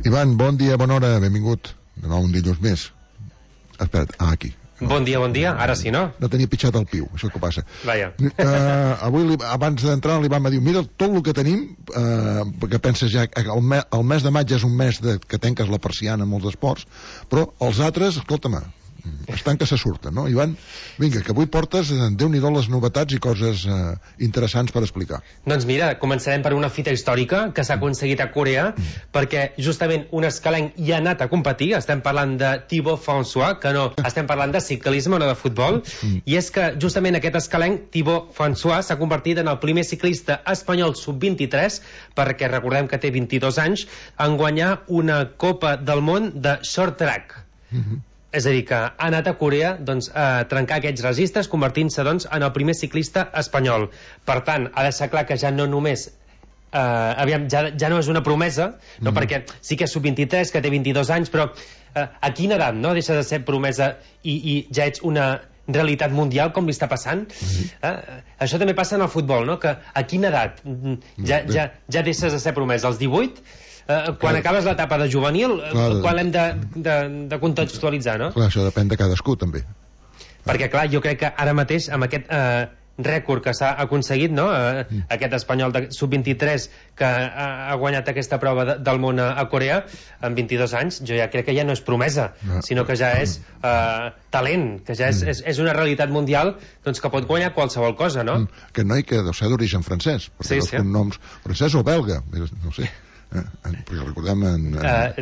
Ivan, bon dia, bona hora, benvingut. De nou un dilluns més. Espera't, aquí. Bon dia, ara sí, no? No tenia pitjat el piu, això que passa. Vaja. Avui, abans d'entrar, l'Ivan va dir, mira tot el que tenim, perquè penses ja, el mes de maig és un mes que tanques la persiana en molts esports, però els altres, escolta'm, estan que se surten, no? Ivan, vinga, que avui portes, Déu-n'hi-do les novetats i coses interessants per explicar. Doncs mira, començarem per una fita històrica que s'ha aconseguit a Corea, perquè justament un escalenc hi ha anat a competir. Estem parlant de Thibaut François, que no estem parlant de ciclisme, no de futbol, i és que justament aquest escalenc, Thibaut François, s'ha convertit en el primer ciclista espanyol sub-23, perquè recordem que té 22 anys, en guanyar una Copa del Món de short track. És a dir, que ha anat a Corea doncs, a trencar aquests registres, convertint-se doncs, en el primer ciclista espanyol. Per tant, ha de ser clar que ja no només ja no és una promesa, no? Perquè sí que és sub-23, que té 22 anys, però a quina edat no? Deixa de ser promesa i ja ets una realitat mundial, com li està passant? Això també passa en el futbol, no? Que a quina edat ja deixes de ser promesa? Als 18? Quan acabes l'etapa de juvenil, quan l'hem de contextualitzar, no? Clar, això depèn de cadascú, també. Perquè, clar, jo crec que ara mateix, amb aquest rècord que s'ha aconseguit, no? Aquest espanyol de sub-23 que ha guanyat aquesta prova del món a Corea, amb 22 anys, jo ja crec que ja no és promesa, sinó que ja és talent, que ja és una realitat mundial doncs, que pot guanyar qualsevol cosa, no? Aquest noi que deu ser d'origen francès, perquè els cognoms francès o belga, no sé. Perquè recordem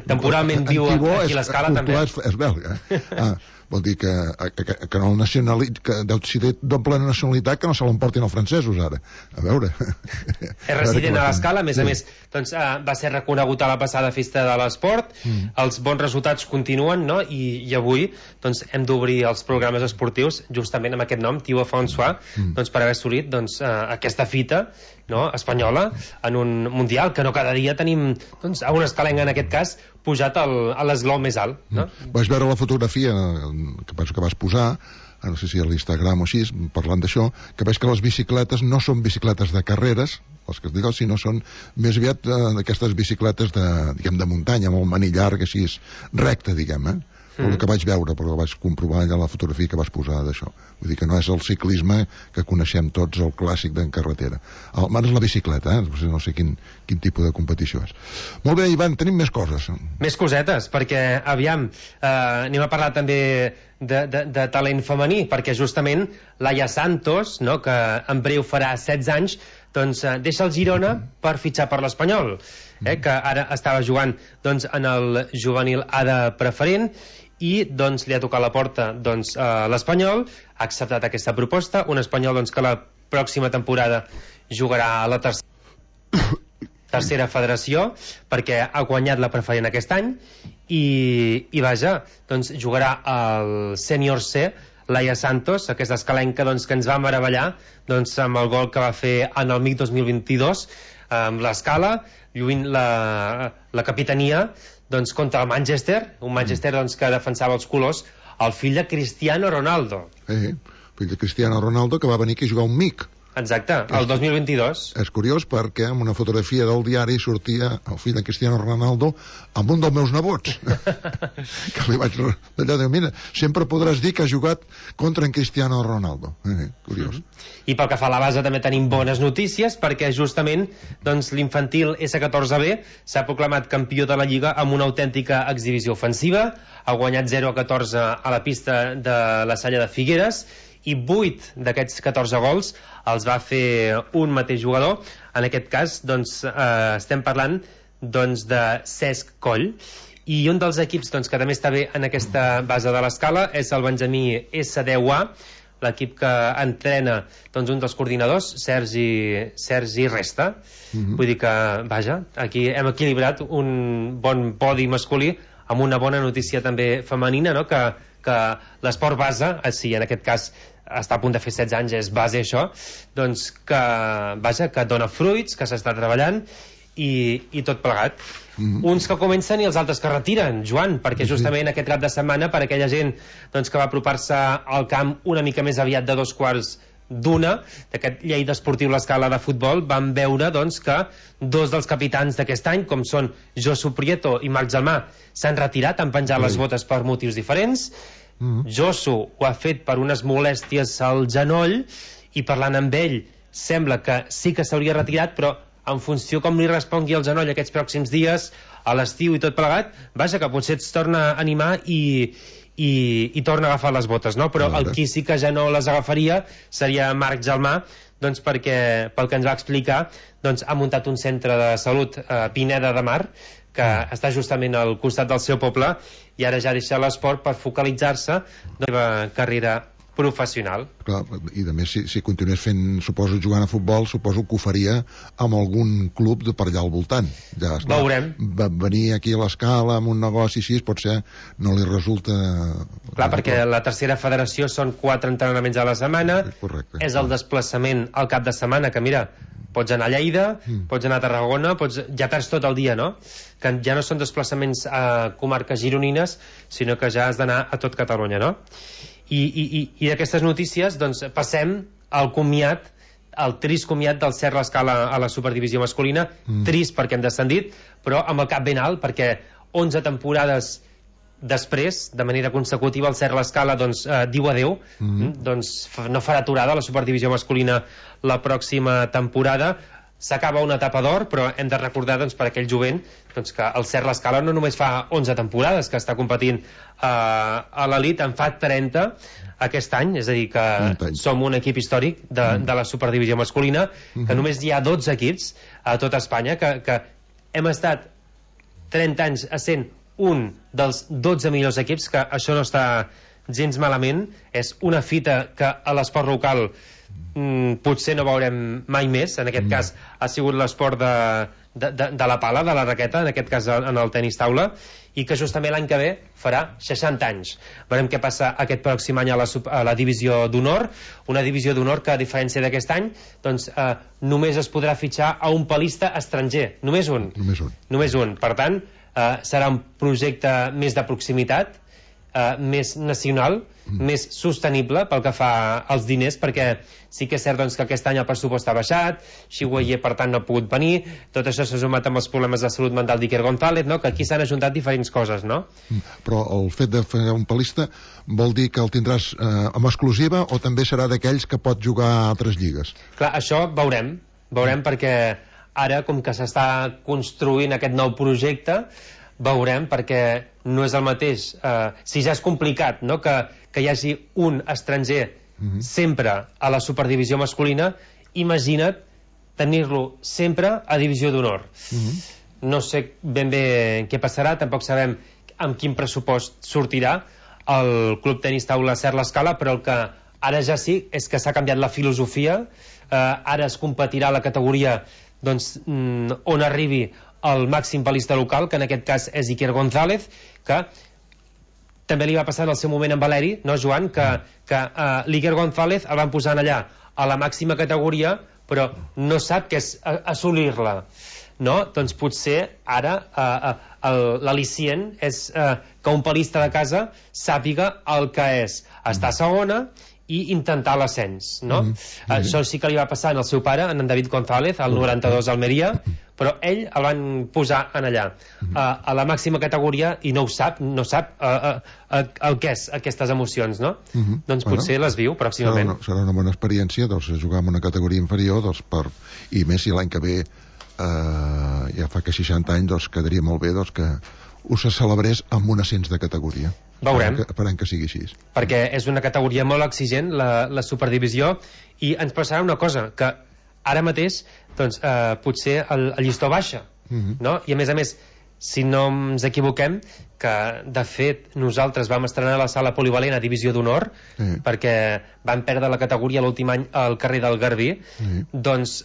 temporalment viu aquí a l'Escala també és belga, vol dir que no que deu ser doble nacionalitat, que no se l'emportin els francesos ara, a veure és resident a l'Escala, a més doncs, va ser reconegut a la passada festa de l'esport, els bons resultats continuen, no? I avui doncs, hem d'obrir els programes esportius justament amb aquest nom, Thibaut François, doncs, per haver assolit doncs, aquesta fita, no? Espanyola en un mundial, que no cada dia tenim doncs, a un escalenc en aquest cas pujat a l'esglou més alt, no? Vaig veure la fotografia que penso que vas posar, no sé si a l'Instagram o així, parlant d'això, que veig que les bicicletes no són bicicletes de carreres, les que es diuen, sinó són més aviat d'aquestes bicicletes de muntanya, amb el manillar així recte, diguem, el que vaig veure, però vaig comprovar allà la fotografia que vas posar d'això. Vull dir que no és el ciclisme que coneixem tots, el clàssic d'en carretera. Almenys és la bicicleta, no sé quin tipus de competició és. Molt bé, Ivan, tenim més coses. Més cosetes, perquè, aviam, anem a parlar també de talent femení, perquè justament Laia Santos, no, que en breu farà 16 anys, doncs deixa el Girona per fitxar per l'Espanyol, que ara estava jugant doncs, en el juvenil A de preferent, i doncs, li ha tocat la porta doncs, a l'Espanyol, ha acceptat aquesta proposta, un Espanyol doncs, que la pròxima temporada jugarà a la tercera federació, perquè ha guanyat la preferent aquest any, i vaja, doncs, jugarà al sènior C, Laia Santos, aquesta escalenca doncs, que ens va meravellar doncs, amb el gol que va fer en el MIC 2022 amb l'Escala, lluint la capitania doncs, contra el Manchester, un Manchester doncs, que defensava els colors, el fill de Cristiano Ronaldo. Fill de Cristiano Ronaldo, que va venir aquí a jugar un MIC. Exacte, el 2022. És curiós perquè en una fotografia del diari sortia el fill de Cristiano Ronaldo amb un dels meus nebots que li vaig d'allò dir, mira, sempre podràs dir que ha jugat contra en Cristiano Ronaldo. Curiós. I pel que fa a la base també tenim bones notícies, perquè justament doncs, l'infantil S14B s'ha proclamat campió de la Lliga amb una autèntica exhibició ofensiva, ha guanyat 0-14 a la pista de la Salla de Figueres, i 8 d'aquests 14 gols els va fer un mateix jugador. En aquest cas doncs, estem parlant doncs, de Cesc Coll, i un dels equips doncs, que també està bé en aquesta base de l'escala és el Benjamí S10A, l'equip que entrena doncs, un dels coordinadors, Sergi Resta. Vull dir que, vaja, aquí hem equilibrat un bon podi masculí amb una bona notícia també femenina, no? Que l'esport base, si en aquest cas està a punt de fer 16 anys, és base això, doncs que, vaja, que dona fruits, que s'està treballant i tot plegat. Uns que comencen i els altres que retiren, Joan, perquè justament aquest cap de setmana, per aquella gent doncs, que va apropar-se al camp una mica més aviat de 2 quarts d'una, d'aquest Lleida Esportiu l'Escala de futbol, vam veure doncs, que dos dels capitans d'aquest any, com són Josu Prieto i Marc Gelmà, s'han retirat, han penjat les botes per motius diferents. Josu ho ha fet per unes molèsties al genoll, i parlant amb ell sembla que sí que s'hauria retirat, però en funció com li respongui el genoll aquests pròxims dies, a l'estiu i tot plegat, vaja, que potser es torna a animar i torna a agafar les botes, no? Però el qui sí que ja no les agafaria seria Marc Gelmà, doncs perquè, pel que ens va explicar, doncs ha muntat un centre de salut a Pineda de Mar, que està justament al costat del seu poble, i ara ja deixa l'esport per focalitzar-se en la seva carrera professional. Clar, i a més, si continués fent, suposo, jugant a futbol, suposo que ho faria amb algun club de per allà al voltant. Ja està. Veurem. Venir aquí a l'Escala amb un negoci així, potser no li resulta... Clar, perquè la tercera federació són 4 entrenaments a la setmana. Correcte. És el desplaçament al cap de setmana, que mira, pots anar a Lleida, pots anar a Tarragona, ja perds tot el dia, no? Que ja no són desplaçaments a comarques gironines, sinó que ja has d'anar a tot Catalunya, no? I d'aquestes notícies doncs, passem al comiat, el trist comiat del Cert l'Escala a la superdivisió masculina. Trist perquè hem descendit, però amb el cap ben alt, perquè 11 temporades després, de manera consecutiva, el Cert l'Escala doncs, diu adeu, doncs no farà aturada la superdivisió masculina la pròxima temporada. S'acaba una etapa d'or, però hem de recordar doncs, per aquell jovent doncs, que el Cert l'Escala no només fa 11 temporades que està competint a l'elit, en fa 30 aquest any, és a dir que som un equip històric de la superdivisió masculina, que només hi ha 12 equips a tota Espanya, que hem estat 30 anys essent un dels 12 millors equips, que això no està gens malament. És una fita que a l'esport local potser no veurem mai més. En aquest cas ha sigut l'esport de la pala, de la raqueta, en aquest cas en el tenis taula, i que justament l'any que ve farà 60 anys. Veurem què passa aquest pròxim any a la divisió d'honor, una divisió d'honor que, a diferència d'aquest any, doncs, només es podrà fitxar a un palista estranger, només un. Per tant, serà un projecte més de proximitat, més nacional, més sostenible pel que fa als diners, perquè sí que és cert doncs, que aquest any el pressupost ha baixat, Xiguayer per tant no ha pogut venir, tot això s'ha sumat amb els problemes de salut mental d'Iker González, no? Que aquí s'han ajuntat diferents coses, no? Però el fet de fer un palista vol dir que el tindràs amb exclusiva o també serà d'aquells que pot jugar a altres lligues? Clar, això veurem perquè ara, com que s'està construint aquest nou projecte, veurem, perquè no és el mateix, si ja és complicat, no? que hi hagi un estranger sempre a la superdivisió masculina, imagina't tenir-lo sempre a divisió d'honor. No sé ben bé què passarà, tampoc sabem amb quin pressupost sortirà el Club Tenis Taula Cert l'Escala, però el que ara ja sí és que s'ha canviat la filosofia. Ara es competirà a la categoria doncs, on arribi el màxim palista local, que en aquest cas és Iker González, que també li va passar en el seu moment amb Valeri, no, Joan? Que l'Iker González el van posar allà a la màxima categoria, però no sap què és assolir-la, no? Doncs potser ara l'al·licient és que un palista de casa sàpiga el que és estar segona i intentar l'ascens, no? Això sí que li va passar en el seu pare, en David González, al 92 a Almeria, però ell el van posar en allà, a la màxima categoria, i no sap el que és aquestes emocions, no? Doncs potser les viu pròximament. Serà una bona experiència, doncs, jugar en una categoria inferior, doncs, i més si l'any que ve ja fa que 60 anys, doncs quedaria molt bé doncs, que us celebrés amb un ascens de categoria. Veurem. Esperem que sigui així. Perquè és una categoria molt exigent, la superdivisió, i ens passarà una cosa, que ara mateix doncs, potser el llistó baixa, no? I a més, si no ens equivoquem, que de fet nosaltres vam estrenar la sala polivalent a divisió d'honor, perquè vam perdre la categoria l'últim any al carrer del Garbí, doncs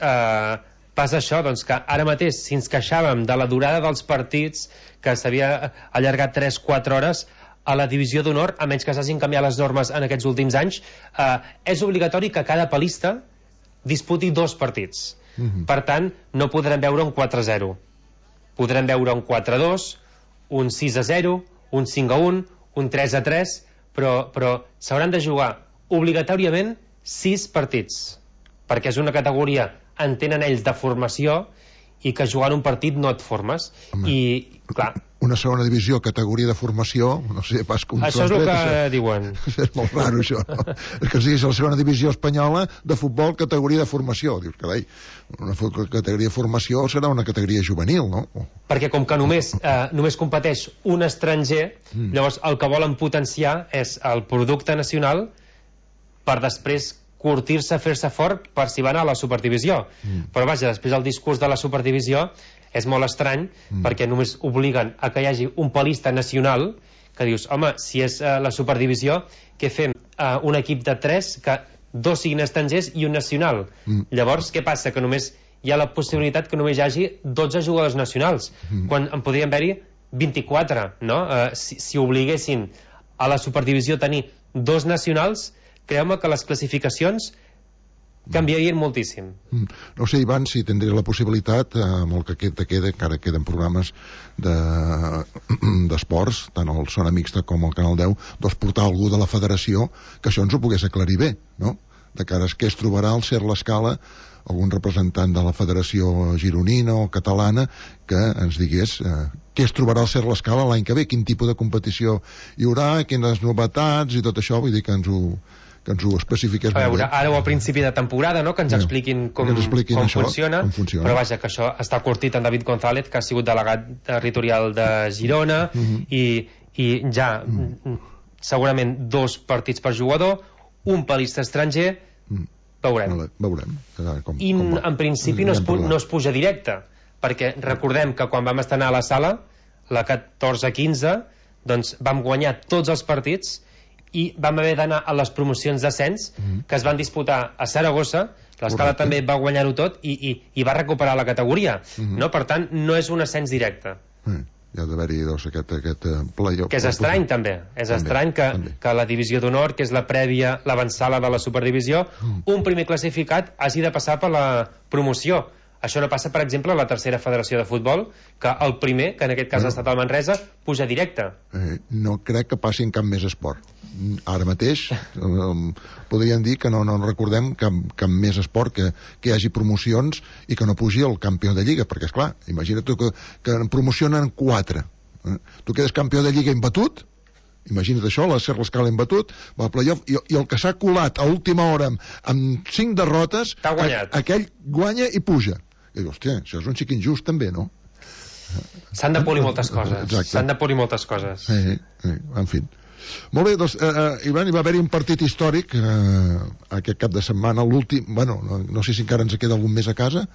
passa això, doncs, que ara mateix, si ens queixàvem de la durada dels partits, que s'havia allargat 3-4 hores, a la divisió d'honor, a menys que s'hagin canviat les normes en aquests últims anys, és obligatori que cada palista disputi 2 partits. Per tant, no podrem veure un 4-0. Podrem veure un 4-2, un 6-0, un 5-1, un 3-3, però s'hauran de jugar obligatòriament 6 partits, perquè és una categoria, entenen ells, de formació, i que jugant un partit no et formes. Home, i, clar, una segona divisió, categoria de formació, no sé pas com... Això és el que diuen. És molt raro, això, no? És que siguis la segona divisió espanyola de futbol, categoria de formació. Dius, carai, una categoria de formació serà una categoria juvenil, no? Perquè com que només competeix un estranger, llavors el que volen potenciar és el producte nacional per després curtir-se, fer-se fort per si van a la superdivisió. Però vaja, després el discurs de la superdivisió és molt estrany, perquè només obliguen a que hi hagi un palista nacional, que dius, home, si és la superdivisió, què fem? Un equip de 3, que 2 siguin estrangers i un nacional. Llavors, què passa? Que només hi ha la possibilitat que només hi hagi 12 jugadors nacionals, quan en podrien haver-hi 24, no? Si obliguessin a la superdivisió a tenir 2 nacionals, creu-me que les classificacions canviarien moltíssim. No sé, Ivan, si tindré la possibilitat, amb el que queda, encara queden programes d'esports, tant el Zona Mixta com el Canal 10, doncs portar algú de la federació que això ens ho pogués aclarir bé, no? De cara a què es trobarà al Ser l'Escala, algun representant de la federació gironina o catalana que ens digués què es trobarà al Ser l'Escala l'any que ve, quin tipus de competició hi haurà, quines novetats i tot això, vull dir que ens ho especifiqués a veure, ara o a principi de temporada, no? Que ens expliquin com funciona, però vaja, que això està curtit en David González, que ha sigut delegat territorial de Girona, i ja segurament 2 partits per jugador, un palista estranger, veurem. Veurem. I en principi no es puja directe, perquè recordem que quan vam estar a la sala, la 14-15, doncs vam guanyar tots els partits i vam haver d'anar a les promocions d'ascens que es van disputar a Saragossa. L'Escala també va guanyar-ho tot i va recuperar la categoria, no? Per tant, no és un ascens directe. Hi ha d'haver-hi doncs, aquest playoff. Que és estrany, també. És estrany que la divisió d'honor, que és la prèvia, l'avançada de la superdivisió, un primer classificat hagi de passar per la promoció. Això no passa, per exemple, a la tercera federació de futbol, que el primer, que en aquest cas ha estat el Manresa, puja directe. No crec que passi en cap més esport. Ara mateix podríem dir que no recordem cap més esport que hi hagi promocions i que no pugi el campió de Lliga, perquè, esclar, imagina't que en promocionen 4. Tu quedes campió de Lliga imbatut, imagina't això, la Ser l'Escala imbatut, va al playoff, i el que s'ha colat a última hora amb 5 derrotes, aquell guanya i puja. I dius, hòstia, això és un xic injust també, no? S'han de polir moltes coses. S'han de polir moltes coses. En fi. Molt bé, doncs, Ivan, hi va haver-hi un partit històric aquest cap de setmana, l'últim, bueno, no sé si encara ens queda algun més a casa,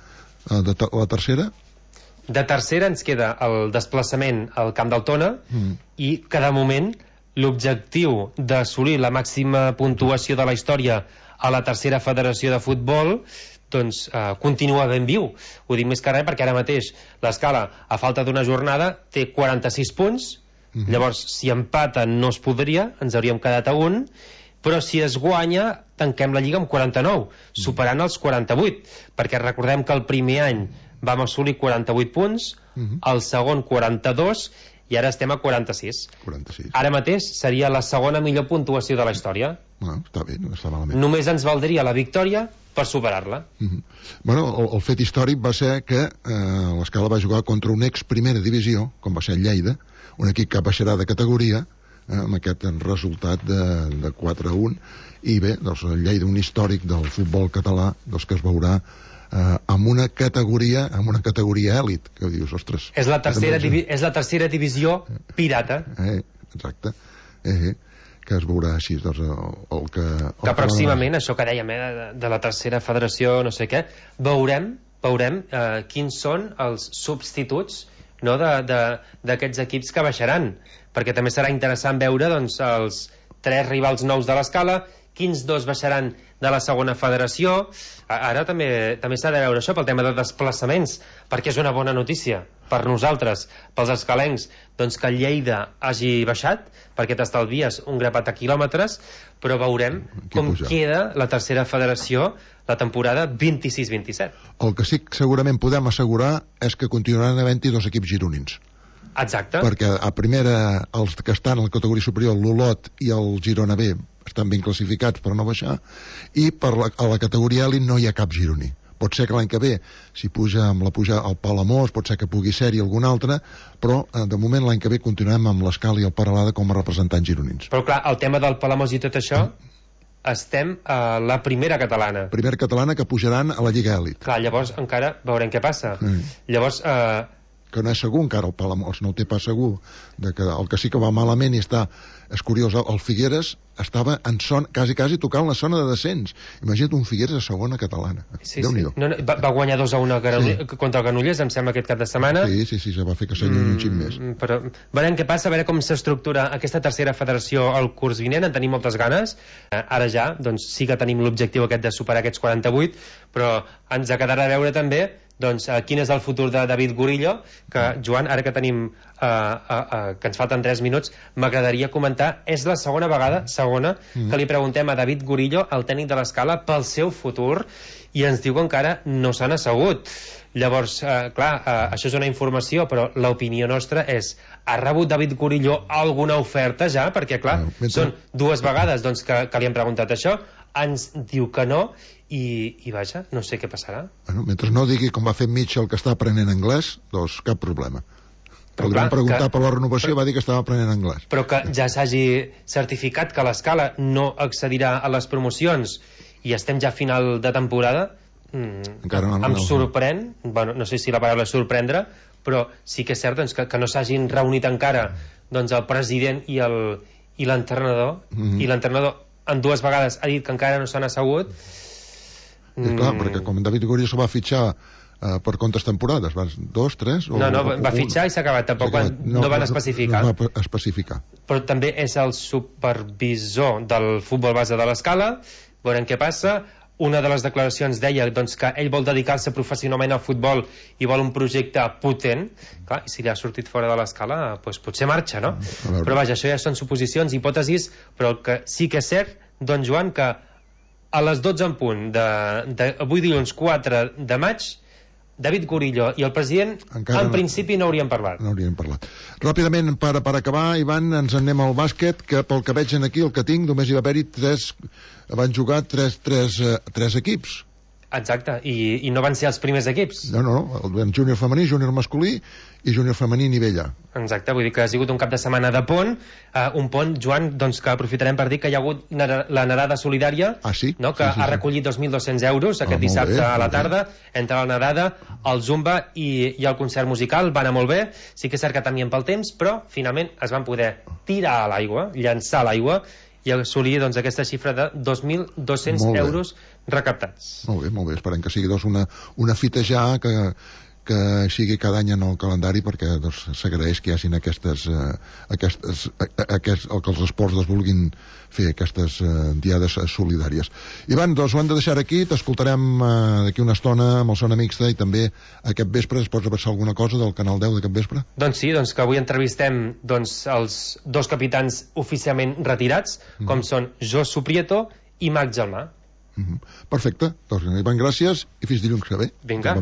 la tercera. De tercera ens queda el desplaçament al Camp del Tona i que de moment l'objectiu d'assolir la màxima puntuació de la història a la tercera federació de futbol doncs continua ben viu. Ho dic més que res perquè ara mateix l'Escala, a falta d'una jornada, té 46 punts. Llavors, si empata no es podria, ens hauríem quedat a 1, però si es guanya tanquem la Lliga amb 49, superant els 48, perquè recordem que el primer any vam assolir 48 punts, el segon 42 i ara estem a 46. Ara mateix seria la segona millor puntuació de la història. Està bé, no està malament. Només ens valdria la victòria per superar-la. Bueno, el fet històric va ser que l'Escala va jugar contra un ex primera divisió, com va ser el Lleida, un equip que baixarà de categoria, amb aquest resultat de 4-1, i bé, doncs el Lleida, un històric del futbol català, doncs que es veurà amb una categoria èlit, que dius, ostres... És la tercera divisió pirata. Exacte. Que es veurà així, doncs, que pròximament, això que dèiem, de la tercera federació, no sé què, veurem quins són els substituts, no, d'aquests equips que baixaran, perquè també serà interessant veure doncs, els 3 rivals nous de l'Escala, quins 2 baixaran de la segona federació. Ara també s'ha de veure això pel tema de desplaçaments, perquè és una bona notícia per nosaltres, pels escalencs, doncs que el Lleida hagi baixat, perquè t'estalvies un grapat de quilòmetres, però veurem com queda la tercera federació la temporada 26-27. El que sí que segurament podem assegurar és que continuaran havent-hi 2 equips gironins. Exacte. Perquè a primera, els que estan a la categoria superior, l'Olot i el Girona B, estan ben classificats per no baixar, i a la categoria elit no hi ha cap gironí. Pot ser que l'any que ve, si puja amb la puja al Palamós, pot ser que pugui ser-hi algun altre, però de moment l'any que ve continuem amb l'Escala i el Peralada com a representants gironins. Però clar, el tema del Palamós i tot això, estem a la primera catalana. Primera catalana que pujaran a la Lliga Elit. Clar, llavors encara veurem què passa. Llavors... que no és segur encara el Palamós, no ho té pas segur, que el que sí que va malament i està, és curiós, el Figueres estava en quasi tocant la zona de descens. Imagina't un Figueres a segona catalana. Déu-n'hi-do. Va guanyar 2-1 contra el Granollers, em sembla, aquest cap de setmana. Sí, se va fer que s'allunyi un xic més. Però veurem què passa, a veure com s'estructura aquesta tercera federació el curs vinent, en tenim moltes ganes. Ara ja, doncs sí que tenim l'objectiu aquest de superar aquests 48, però ens quedarà a veure també quin és el futur de David Gurillo, que, Joan, ara que tenim que ens falten 3 minuts, m'agradaria comentar, és la segona vegada que li preguntem a David Gurillo, el tècnic de l'Escala, pel seu futur, i ens diu que encara no s'han assegut. Llavors, clar, això és una informació, però l'opinió nostra és, ha rebut David Gurillo alguna oferta ja? Perquè, clar, són 2 vegades que li hem preguntat això, ens diu que no, i vaja, no sé què passarà. Bueno, mentre no digui com va fer Mitchell que està aprenent anglès, doncs cap problema. Podríem preguntar per la renovació, va dir que estava aprenent anglès. Però que ja s'hagi certificat que l'Escala no accedirà a les promocions i estem ja a final de temporada, em sorprèn, bueno, no sé si la paraula és sorprendre, però sí que és cert que no s'hagin reunit encara el president i l'entrenador, i l'entrenador en 2 vegades ha dit que encara no s'han assegut. Clar, perquè com David Gurillo se va fitxar per quantes temporades? 2, 3? No, va fitxar i s'ha acabat, tampoc no van especificar. No va especificar. Però també és el supervisor del futbol base de l'Escala, veurem què passa. Una de les declaracions deia que ell vol dedicar-se professionalment al futbol i vol un projecte potent. Clar, i si li ha sortit fora de l'Escala, doncs potser marxa, no? Però vaja, això ja són suposicions, hipòtesis, però el que sí que és cert, Joan, que a les 12 en punt avui dilluns 4 de maig, David Gurillo i el president en principi no haurien parlat. No haurien parlat. Ràpidament, per acabar, Ivan, ens anem al bàsquet, que pel que veig aquí, el que tinc, només hi va haver-hi 3, van jugar 3 equips. Exacte, i no van ser els primers equips. No, el júnior femení, júnior masculí i júnior femení nivell A. Exacte, vull dir que ha sigut un cap de setmana de pont, un pont, Joan, que aprofitarem per dir que hi ha hagut la nedada solidària, que ha recollit 2.200 euros aquest dissabte a la tarda, entre la nedada, el zumba i el concert musical, va anar molt bé, sí que és cert que temien pel temps, però finalment es van poder tirar a l'aigua, llançar a l'aigua, i assolir aquesta xifra de 2.200 euros recaptats. Molt bé, esperem que sigui una fita ja que sigui cada any en el calendari, perquè s'agraeix que hi hagin el que els esports vulguin fer aquestes diades solidàries. Ivan, doncs ho hem de deixar aquí, t'escoltarem d'aquí una estona amb el Zona Mixta, i també aquest vespre es pots avançar alguna cosa del Canal 10 d'aquest vespre? Doncs sí, que avui entrevistem els 2 capitans oficialment retirats, com són Jos Suprieto i Marc Gelmà. Perfecte, doncs Ivan, gràcies i fins dilluns que ve. Vinga.